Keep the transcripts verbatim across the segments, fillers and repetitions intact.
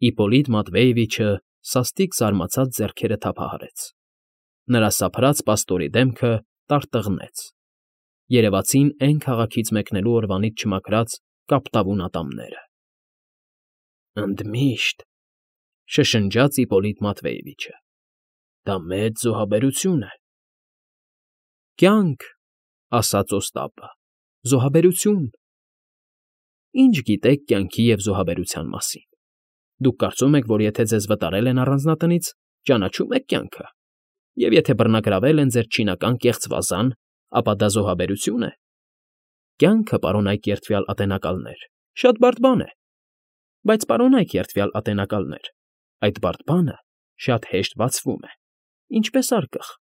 Իպոլիտ Մատվեևիչը սաստիկ զարմացած ձեռքերը թափահարեց, նրա սափրած պաստորի դեմքը տարտղնեց, երևացին էն քաղաքից մեկնելու օրվանից չմաքրած կապտավուն ատամները։ ֊ Ընդմիշտ,֊ շշնջաց Իպոլիտ Մատվեևիչը,֊ դա մեծ զոհաբերություն է։ ֊ Կյանք,֊ ասաց Օստապը,֊ զոհաբերություն… Ինչ գիտեք կյանքի և զոհաբերության մասին։ Դուք կարծում եք, որ եթե ձեզ վտարել են առանձնատնից, ճանաչում եք կյանքը, և եթե բռնագրավել են ձեր չինական կեղծ վազան, ապա դա զոհաբերություն է։ Կյանքը, պարոնայք երդվյալ ատենակալներ, շատ բարդ բան է, բայց, պարոնայք երդվյալ ատենակալներ, այդ բարդ բանը շատ հեշտ բացվում է, ինչպես արկղ,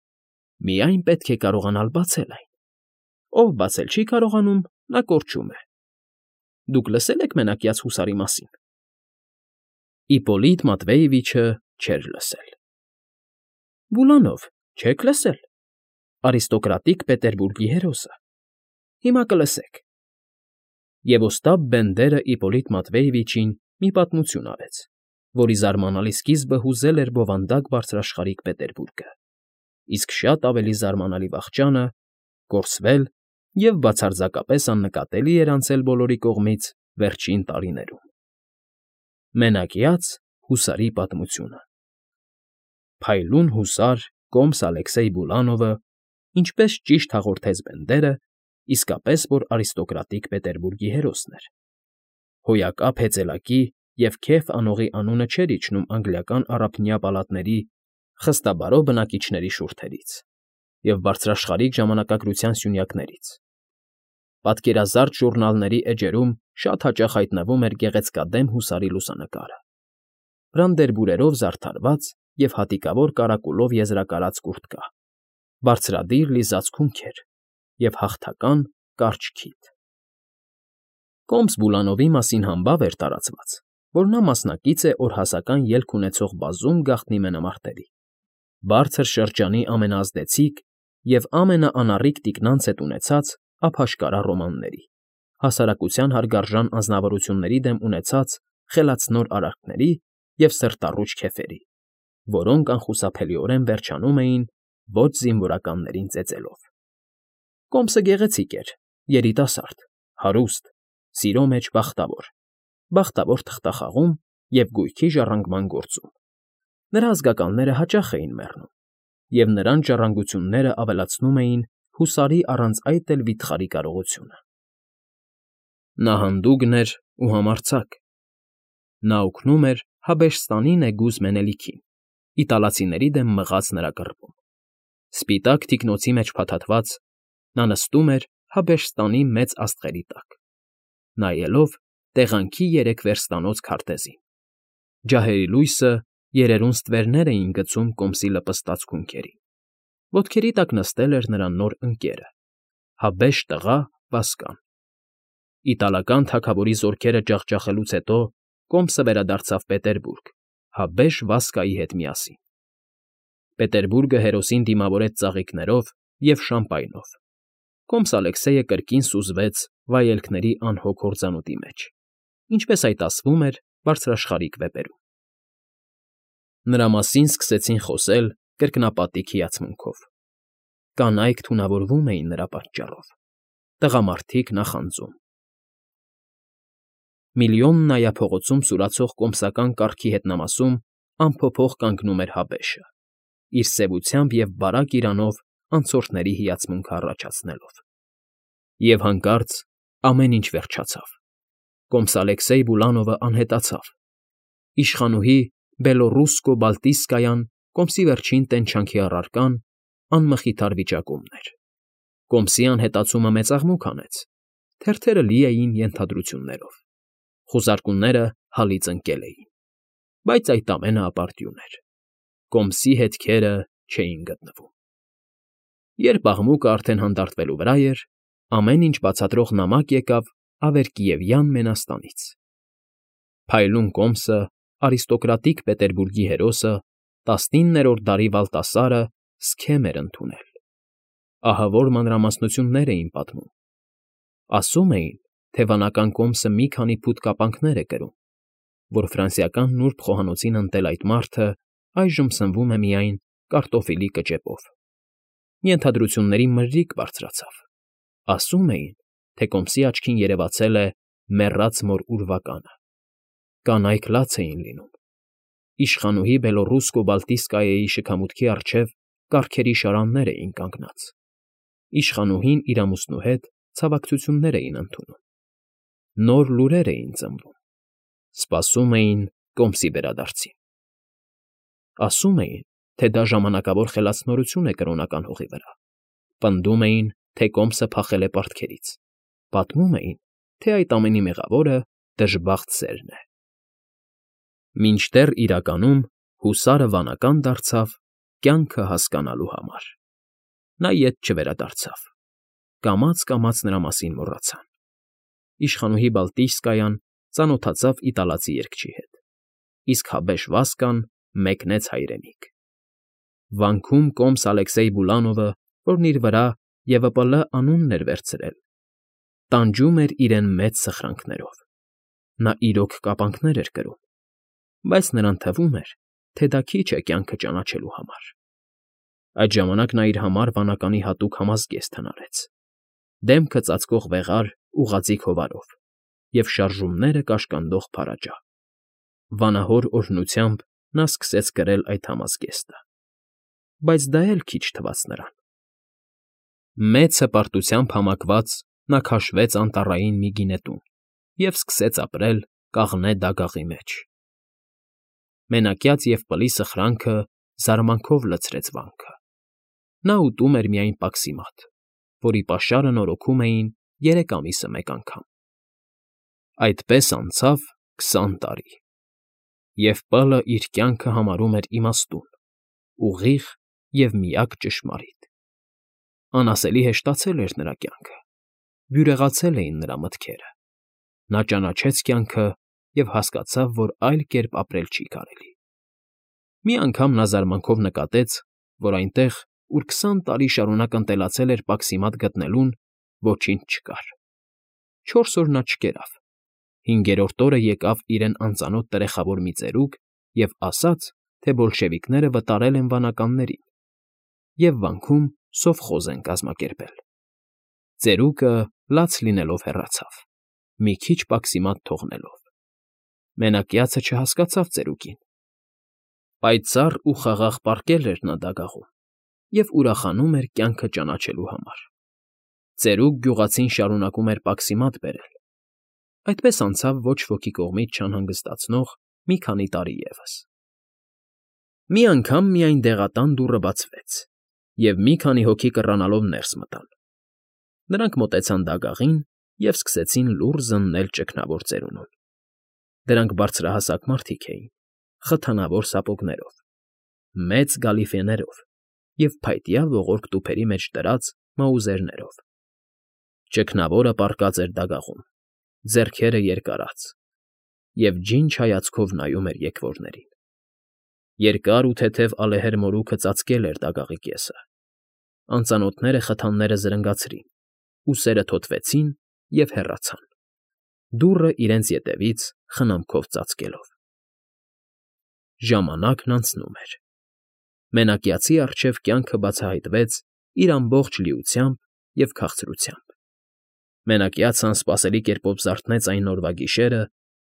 միայն պետք է կարողանալ բացել այն։ Ով բացել չի կարողանում, նա կորչում է։ Դուք լսե՞լ եք մենակյաց հուսարի մասին։ Իպոլիտ Մատվեևիչը չէր լսել։ ֊ Բուլանով, չե՞ք լսել, արիստոկրատիկ Պետերբուրգի հերոսը։ Հիմա կլսեք։ Եվ Օստապ Բենդերը Իպոլիտ Մատվեևիչին մի պատմություն արեց, որի զարմանալի սկիզբը հուզել էր բովանդակ բարձրաշխարհիկ Պետերբուրգը, իսկ շատ ավելի զարմանալի վախճանը՝ կորսվել և բացարձակապես աննկատելի էր անցել բոլորի կողմից վերջին տարիներում։ Մենակյաց հուսարի պատմությունը։ Փայլուն հուսար կոմս Ալեքսեյ Բուլանովը, ինչպես ճիշտ հաղորդեց Բենդերը, իսկապես որ արիստոկրատիկ Պետերբուրգի հերոսն էր։ Հոյակապ հեծելակի և քեֆ անողի անունը չէր իջնում անգլիական առափնյա պալատների խստաբարո բնակիչների շուրթերից և բարձրաշխարհիկ ժամանակագրության սյունյակներից։ Պատկերազարդ ժուռնալների էջերում շատ հաճախ հայտնվում էր գեղեցկադեմ հուսարի լուսանկարը, բրանդերբուրերով զարդարված և հատիկավոր կարակուլով եզրակարած կուրտկա, բարձրադիր լիզած քունքեր և հաղթական կարճ քիթ։ Կոմս Բուլանովի մասին համբավ էր տարածված, որ նա մասնակից է օրհասական ելք ունեցող բազում գաղտնի մենամարտերի, բարձր շրջանի ամենաազդեցիկ և ամենաանառիկ թիկնանց հետ ունեցած ափաշկարա ռոմանների, հասարակության հարգարժան անձնավորությունների դեմ ունեցած խելացնոր արարքների և սրտառուչ քեֆերի, որոնք անխուսափելիորեն վերջանում էին ոչ զինվորականներին ծեծելով։ Կոմսը գեղեցիկ էր, երիտասարդ, հարուստ, սիրո մեջ բախտավոր, բախտավոր թղթախաղում և գույքի ժառանգման գործում։ Նրա ազգականները հաճախ էին մեռնում, և նրանց ժառանգությունները ավելացնում էին հուսարի առանց այդ էլ վիթխարի կարողությունը։ Նա հանդուգն էր ու համարձակ։ Նա օգնում էր Հաբեշստանի նեգուզ Մենելիքին, իտալացիների դեմ մղած նրա կռվում։ Սպիտակ թիկնոցի մեջ փաթաթված՝ նա նստում էր Հաբեշստանի մեծ աստղերի տակ, նայելով տեղանքի երեք վերստանոց քարտեզին։ Ջահերի լույսը երերուն ստվերներ էին գցում կոմսի լպստած քունքերին։ Ոտքերի տակ նստել էր նրա նոր ընկերը՝ հաբեշ տղա Վասկան։ Իտալական թագավորի զորքերը ջախջախելուց հետո կոմսը վերադարձավ Պետերբուրգ հաբեշ Վասկայի հետ միասին։ Պետերբուրգը հերոսին դիմավորեց ծաղիկներով և շամպայնով։ Կոմս Ալեքսեյը կրկին սուզվեց վայելքների անհոգ հորձանուտի մեջ, ինչպես այդ ասվում էր բարձրաշխարհիկ վեպերում։ Նրա մասին սկսեցին խոսել կրկնապատիկ հիացմունքով։ Կանայք թունավորվում էին նրա պատճառով, տղամարդիկ նախանձում։ Միլիոննայա փողոցում սուրացող կոմսական կառքի հետնամասում անփոփոխ կանգնում էր հաբեշը, իր սևությամբ և բարակ իրանով անցորդների հիացմունքը առաջացնելով։ Եվ հանկարծ ամեն ինչ վերջացավ։ Կոմս Ալեքսեյ Բուլանովը անհետացավ։ Իշխանուհի Բելոռուսկո Բալտիստկայան, կոմսի վերջին տենչանքի առարկան, անմխիթար վիճակումն էր։ Կոմսի անհետացումը մեծ աղմուկ հանեց, թերթերը լի էին ենթադրություններով, խուզարկուները հալից ընկել էին, բայց այդ ամենը ապարդյուն էր։ Կոմսի հետքերը չէին գտնվում։ Երբ աղմուկը արդեն հանդարտվելու վրա էր, ամեն ինչ բացատրող նամակ եկավ Ավերկիևյան Մենաստանից։ Փայլուն կոմսը, արիստոկրատիկ Պետերբուրգի հերոսը, տասնիններորդ դարի Վալտասարը սքեմ էր ընդունել։ Ահավոր մանրամասնություններ էին պատմում։ Ասում էին, թե վանական կոմսը մի քանի փութ կապանքներ է կրում, որ ֆրանսիական նուրբ խոհանոցին ընտել այդ մարդը այժմ սնվում է միայն կարտոֆիլի կճեպով։ Ենթադրությունների մրրիկ բարձրացավ։ Ասում էին, թե կոմսի աչքին երևացել է մեռած մոր ուրվականը։ Կանայք լաց էին լինում։ Իշխանուհի Բելոռուսկո-Բալտիստկայեի շքամուտքի առջև կառքերի շարաններ էին կանգնած։ Իշխանուհին իր ամուսնու հետ ցավակցություններ էին ընդունում։ Նոր լուրեր էին ծնվում։ Սպասում էին կոմսի վերադարձին։ Ասում էին, թե դա ժամանակավոր խելացնորություն է կրոնական հողի վրա։ Պնդում էին, թե կոմսը փախել է պարտքերից։ Պատմում էին, թե այդ ամենի մեղավորը դժբախտ սերն է։ Մինչդեռ իրականում հուսարը վանական դարձավ կյանքը հասկանալու համար։ Նա ետ չվերադարձավ։ Կամաց֊կամաց նրա մասին մոռացան։ Իշխանուհի Բալտիստկայան ծանոթացավ իտալացի երգչի հետ, իսկ հաբեշ Վասկան մեկնեց հայրենիք։ Վանքում կոմս Ալեքսեյ Բուլանովը, որն իր վրա Ե V P L անունն էր վերցրել, տանջում էր իրեն մեծ սխրանքներով։ Նա իրոք կապանքներ էր կրում, բայց նրան թվում էր, թե դա քիչ է կյանքը ճանաչելու համար։ Այդ ժամանակ նա իր համար վանականի հատուկ համազգեստ հնարեց, դեմքը ծածկող վեղար ուղղաձիգ հովարով և շարժումները կաշկանդող փարաճա։ Վանահոր օրհնությամբ նա սկսեց կրել այդ համազգեստը, բայց դա էլ քիչ թվաց նրան։ Մեծ հպարտությամբ համակված նա քաշվեց անտառային մի գինետուն և սկսեց ապրել կաղնե դագաղի մեջ։ Մենակյաց և պլի սխրանքը զարմանքով լցրեց վանքը։ Նա ուտում էր միայն պաքսիմատ, որի պաշարը նորոգում էին երեք ամիսը մեկ անգամ։ Այդպես անցավ քսան տարի, և П-ը իր կյանքը համարում էր իմաստուն, ուղիղ և միակ ճշմարիտ։ Անասելի հեշտացել էր նրա կյանքը, բյուրեղացել էին նրա մտքերը։ Նա ճանաչեց կյանքը և հասկացավ, որ այլ կերպ ապրել չի կարելի։ Մի անգամ նա զարմանքով նկատեց, որ այնտեղ, ուր քսան տարի շարունակ ընտելացել էր պաքսիմատ գտնելուն, ոչինչ չկար։ Չորս օր նա չկերավ։ Հինգերորդ օրը եկավ իրեն անծանոթ տրեխավոր մի ծերուկ և ասաց, թե բոլշևիկները վտարել են վանականներին և վանքում սովխոզ են կազմակերպել։ Ծերուկը լաց լինելով հեռացավ, մի քիչ պաքսիմատ թողնելով։ Մենակյացը չհասկացավ ծերուկին։ Պայծառ ու խաղաղ պառկել էր նա դագաղում և ուրախանում էր կյանքը ճանաչելու համար։ Ծերուկ գյուղացին շարունակում էր պաքսիմատ բերել։ Այդպես անցավ ոչ ոքի կողմից չանհանգստացնող մի քանի տարի ևս։ Մի անգամ միայն դեղատան դուռը բացվեց, և մի քանի հոգի կռանալով ներս մտան։ Նրանք մոտեցան դագաղին և սկսեցին լուռ զննել ճգնավոր ծերունուն։ Դրանք բարձրահասակ մարդիկ էին, խթանավոր սապոգներով, մեծ գալիֆեներով և փայտյա ողորկ տուփերի մեջ դրած մաուզերներով։ Ճգնավորը պառկած էր դագաղում, ձեռքերը երկարած, և ջինջ հայացքով նայում էր եկվորներին։ Երկար ու թեթև ալեհեր մորուքը ծածկել էր դագաղի կեսը։ Անծանոթները խթանները զրնգացրին, ուսերը թոթվեցին և հեռացան, դուռը իրենց ետևից խնամքով ծածկելով։ Ժամանակն անցնում էր։ Մենակյացի առջև կյանքը բացահայտվեց իր ամբողջ լիությամբ և քաղցրությամբ։ Մենակյացը անսպասելի կերպով զարթնեց այն օրվա գիշերը,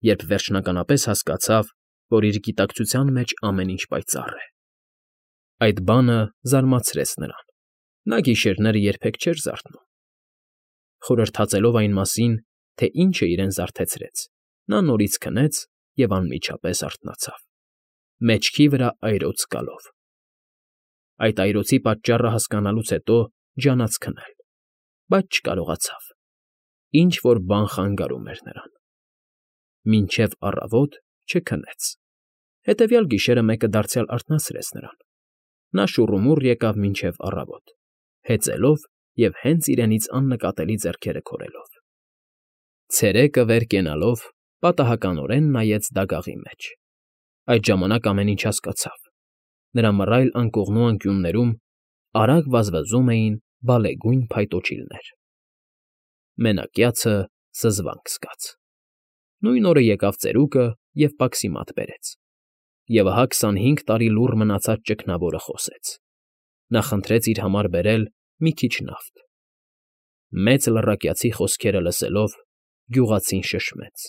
երբ վերջնականապես հասկացավ, որ իր գիտակցության մեջ ամեն ինչ պայծառ է։ Այդ բանը զարմացրեց նրան։ Նա գիշերները երբեք չէր զարթնում։ Խորհրդածելով այն մասին, թե ինչ է իրեն զարթեցրեց, նա նորից քնեց և անմիջապես արթնացավ, մեջքի վրա այրոց զգալով։ Այդ այրոցի պատճառը հասկանալուց հետո ջանաց քնել, բայց չկարողացավ։ Ինչ֊որ բան խանգարում էր նրան։ Մինչև առավոտ չքնեց։ Հետևյալ գիշերը մեկը դարձյալ արթնացրեց նրան։ Նա շուռումուռ եկավ մինչև առավոտ, հեծելով և հենց իրենից աննկատելի ձեռքերը քորելով։ Ցերեկը վեր կենալով պատահականորեն նայեց դագաղի մեջ։ Այդ ժամանակ ամեն ինչ հասկացավ։ Նրա մռայլ անկողնու անկյուններում արագ վազվզում էին բալեգույն փայտոջիլներ։ Մենակյացը զզվանք զգաց։ Նույն օրը եկավ ծերուկը և պաքսի մատ բերեց, և ահա քսանհինգ տարի լուռ մնացած ճգնավորը խոսեց. նա խնդրեց իր համար բերել մի քիչ նավթ։ Մեծ լռակյացի խոսքերը լսելով՝ գյուղացին շշմեց,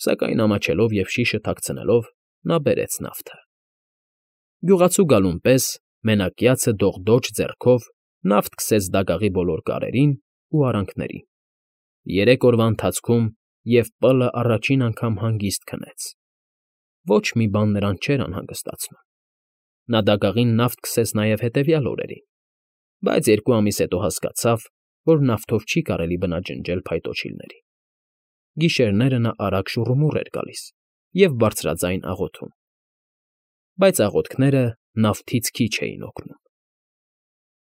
սակայն ամաչելով և շիշը թաքցնելով՝ նա բերեց նավթը։ Գյուղացու գալուն պես մենակյացը դողդոջ ձեռքով նավթ քսեց դագաղի բոլոր կարերին ու արանքներին, երեք օրվա ընթացքում և պլը առաջին անգամ հանգիստ քնեց։ Ոչ մի բան նրան չէր անհանգստացնում։ Նա դագաղին նավթ քսեց նաև հետևյալ օրերին, բայց երկու ամիս հետո հասկացավ, որ նավթով չի կարելի բնաջնջել փայտոջիլներին։ Գիշերները նա արագ շուռումուռ էր գալիս և բարձրաձայն աղոթում, բայց աղոթքները նավթից քիչ էին օգնում։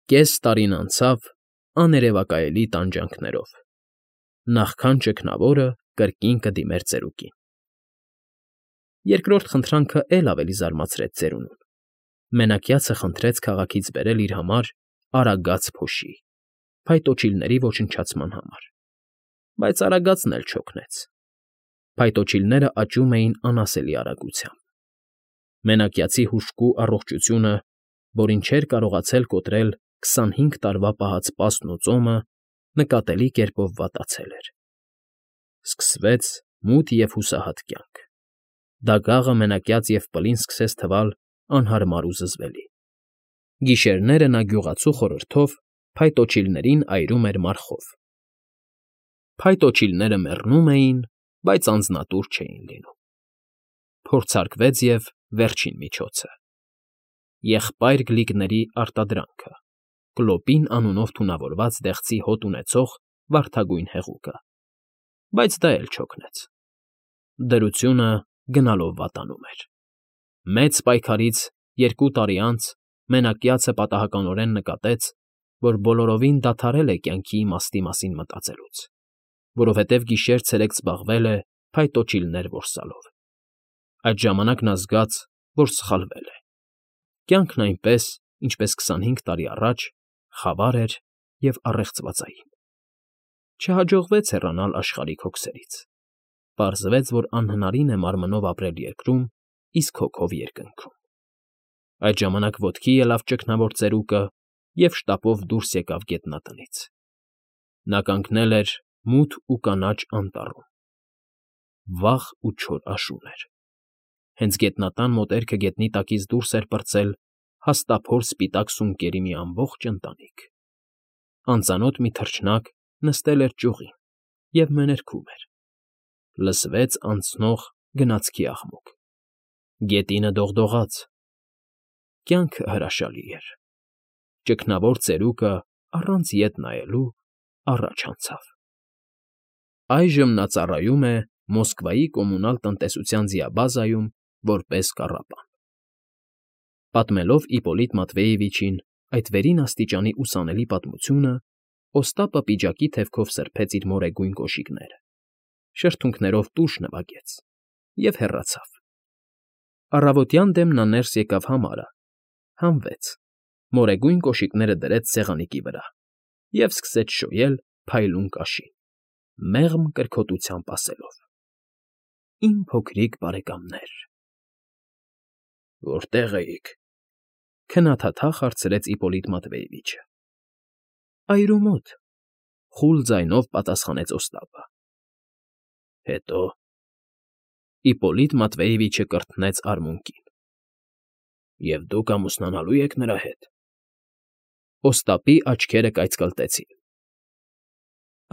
Կես տարին անցավ աներևակայելի տանջանքներով, նախքան ճգնավորը կրկին կդիմեր ծերուկին։ Երկրորդ խնդրանքը էլ ավելի զարմացրեց ծերունուն։ Մենակյացը խնդրեց քաղաքից բերել իր համար արագած փոշի՝ փայտոջիլների ոչնչացման համար, բայց արագածն էլ չօգնեց։ Փայտոջիլները աճում էին անասելի արագությամբ։ Մենակյացի հուժկու առողջությունը, որին չէր կարողացել կոտրել քսանհինգ տարվա պահած պասն ու ծոմը, նկատելի կերպով վատացել էր։ Սկսվեց մութ և հուսահատ կյանք։ Դագաղը մենակյաց և պլին սկսեց թվալ անհարմար ու զզվելի։ Գիշերները նա գյուղացու խորհրդով փայտոջիլներին այրում էր մարխով։ Փայտոջիլները մեռնում էին, բայց անձնատուր չէին լինում։ Փորձարկվեց և վերջին միջոցը՝ եղբայր գլիգների արտադրանքը՝ կլոպին անունով թունավորված դեղցի հոտ ունեցող վարդագույն հեղուկը, բայց դա էլ չօգնեց։ Դրությունը գնալով վատանում էր։ Մեծ պայքարից երկու տարի անց մենակյացը պատահականորեն նկատեց, որ բոլորովին դադարել է կյանքի իմաստի մասին մտածելուց, որովհետև գիշեր֊ցերեկ զբաղվել է փայտոջիլներ որսալով։ Այդ ժամանակ նա զգաց, որ սխալվել է։ Կյանքն այնպես, ինչպես քսանհինգ տարի առաջ, խավար էր և առեղծվածային։ Չհաջողվեց հեռանալ աշխարհիկ հոգսերից։ Պարզվեց, որ անհնարին է մարմնով ապրել երկրում, իսկ հոգով երկնքում։ Այդ ժամանակ ոտքի ելավ ճգնավոր ծերուկը և շտապով դուրս եկավ գետնատնից։ Նա կանգնել էր մութ ու կանաչ անտառում։ Վաղ ու չոր աշուն էր։ Հենց գետնատան մոտերքը գետնի տակից դուրս էր պրծել հաստափոր սպիտակ սունկերի մի ամբողջ ընտանիք։ Անծանոթ մի թռչնակ նստել էր ճյուղին և մեներքում էր։ Լսվեց անցնող գնացքի աղմուկ։ Գետինը դողդողաց։ Կյանքը հրաշալի էր։ Ճգնավոր ծերուկը առանց ետ նայելու առաջ անցավ։ Այժմ նա ծառայում է Մոսկվայի կոմունալ տնտեսության ձիաբազայում որպես կառապան։ Պատմելով Իպոլիտ Մատվեևիչին այդ վերին աստիճանի ուսանելի պատմությունը, Օստապը պիջակի թևքով սրբեց իր մորեգույն կոշիկները, շրթունքներով տուշ նվագեց և հեռացավ։ Առավոտյան դեմ նա ներս եկավ համարը, հանվեց, մորեգույն կոշիկները դրեց սեղանիկի վրա և սկսեց շոյել փայլուն կաշին, մեղմ կրքոտությամբ ասելով. «Իմ փոքրիկ բարեկամներ»։ Որտե՞ղ էիք,֊ քնաթաթախ հարցրեց Իպոլիտ Մատվեևիչը։ Այրու մոտ,֊ խուլ ձայնով պատասխանեց Օստապը։ Հետո…֊ Իպոլիտ Մատվեևիչը կրթնեց արմունկին։ Եվ դուք ամուսնանալո՞ւ եք նրա հետ։ Օստապի աչքերը կայծկլտեցին։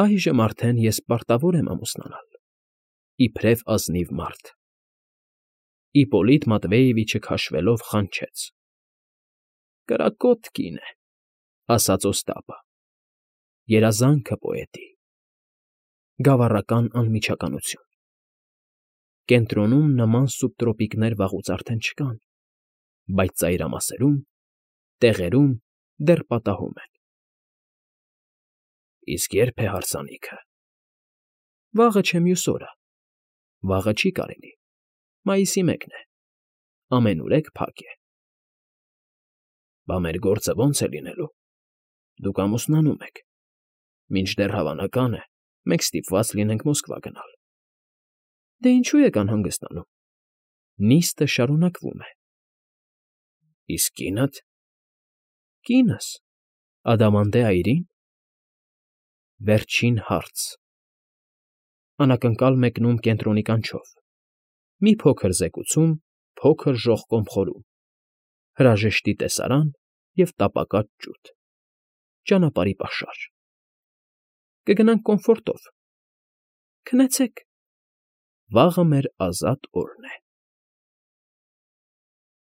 Այժմ արդեն ես պարտավոր եմ ամուսնանալ, իբրև ազնիվ մարդ։ Իպոլիտ Մատվեևիչը քաշվելով խանչեց։ Կրակոտ կին է,֊ ասաց Օստապը,֊ երազանքը պոետի։ Գավառական անմիջականություն։ Կենտրոնում նման սուբտրոպիկներ վաղուց արդեն չկան, բայց ծայրամասերում, տեղերում դեռ պատահում են։ Իսկ ե՞րբ է հարսանիքը։ Վաղը չէ մյուս օրը։ Վաղը չի կարելի, մայիսի մեկն է, ամենուրեք փակ է։ Բա մեր գործը ո՞նց է լինելու։ Դուք ամուսնանում եք, մինչդեռ, հավանական է, մենք ստիպված լինենք Մոսկվա գնալ։ Դե ինչու եք անհանգստանում։ Նիստը շարունակվում է։ Իսկ կինդ… Կինս… Ադամանդե այրի՞ն… Վերջին հարց… Անակնկալ մեկնում կենտրոնի կանչով, մի փոքր զեկուցում փոքր ժողկոմ խորում, հրաժեշտի տեսարան և տապակած ջութ… Ճանապարհի պաշար… Կգնանք կոմֆորտով… Քնեցեք… Վաղը մեր ազատ օրն է։